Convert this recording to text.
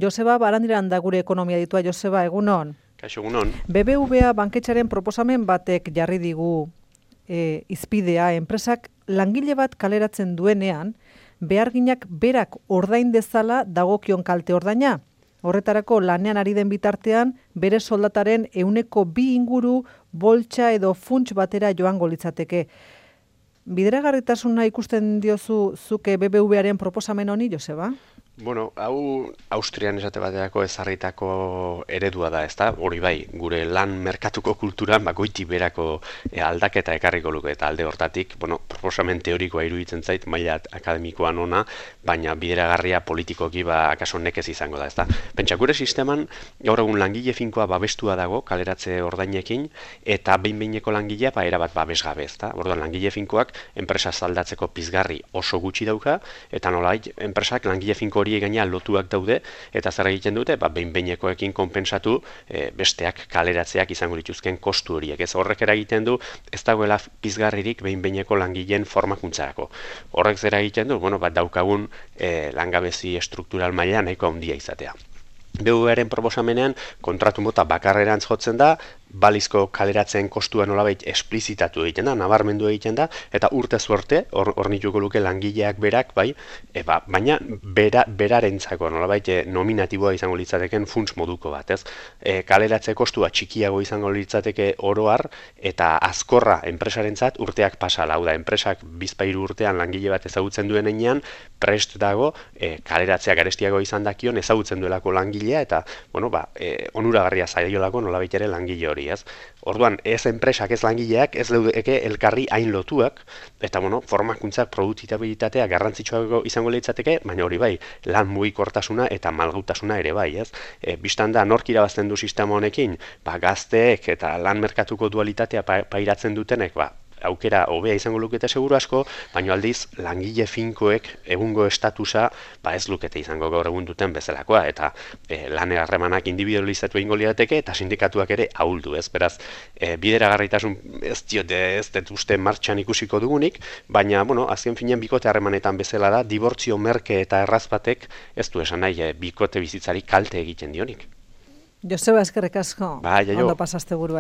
Joseba Barandiran da gure ekonomia ditua. Joseba, egunon. Kaixo, egunon. BBVA banketxaren proposamen batek jarri digu izpidea, enpresak langile bat kaleratzen duenean, beharginak berak ordain dezala dagokion kalte ordaina. Horretarako lanean ari den bitartean, bere soldataren 2% inguru boltsa edo funts batera joango litzateke. Bideragarritasuna ikusten diozu zuke BBVaren proposamen honi, Joseba? Bueno, hau Austrian esate baterako ezarritako eredua da, ezta? Hori bai, gure lan merkatuko kulturan goiti berako aldaketa ekarriko luke eta alde hortatik, proposamen teorikoa iruditzen zait maila akademikoan ona, baina bideragarria politikoki akaso nekez izango da, ezta? Pentsa, gure sisteman gaur egun langile finkoa babestua dago kaleratze ordainekin eta behin-behineko langilea erabat babesgabe, ezta? Orduan langile finkoak enpresa zaldatzeko pizgarri oso gutxi dauka eta nolabait enpresak langile finko gaina lotuak daude, eta zer egiten dute, behin-behinekoekin konpentsatu besteak kaleratzeak izango dituzken kostu horiek. Ez horrek eragiten du, ez dagoela pizgarririk behin-behineko langileen formakuntzarako. Horrek zer egiten du, daukagun langabezi estruktural maila nahiko handia izatea. BBVaren proposamenean kontratu mota bakarrerantz jotzen da, balizko kaleratzen kostua nolabait esplizitatu egiten da, nabarmendu egiten da, eta urtez urte, hornituko luke langileak berak, baina berarentzako nolabait nominatiboa izango litzateken funts moduko bat, ez? Kaleratze kostua txikiago izango litzateke oroar, eta azkorra enpresarentzat urteak pasala, hau da, enpresak bizpahiru urtean langile bat ezagutzen duen heinean, prest dago, kaleratzea garestiago izan dakion ezagutzen duelako langilea, eta, onuragarria zaiolako nolabait ere langile hori. Orduan, ez enpresak, ez langileak, ez leudeke elkarri hain lotuak, eta formakuntzak produktibitatea garrantzitsua izango litzateke, baina hori bai, lan mugikortasuna eta malgutasuna ere bai, ez? Bistan da, nork irabazten du sistema honekin, gazteek eta lan merkatuko dualitatea pairatzen dutenek, aukera hobea izango lukete seguru asko, baina aldiz langile finkoek egungo estatusa ez lukete izango gaur egun duten bezalakoa, eta lan harremanak individualizatu egingo lirateke eta sindikatuak ere ahuldu, ez? Beraz, bideragarritasun ez dut uste martxan ikusiko dugunik, baina, azken finean bikote harremanetan bezala da, dibortzio merke eta erraz batek ez du esan nahi bikote bizitzari kalte egiten dionik. Joseba, eskerrik asko. Bai, jaio. Ondo pasaste burua.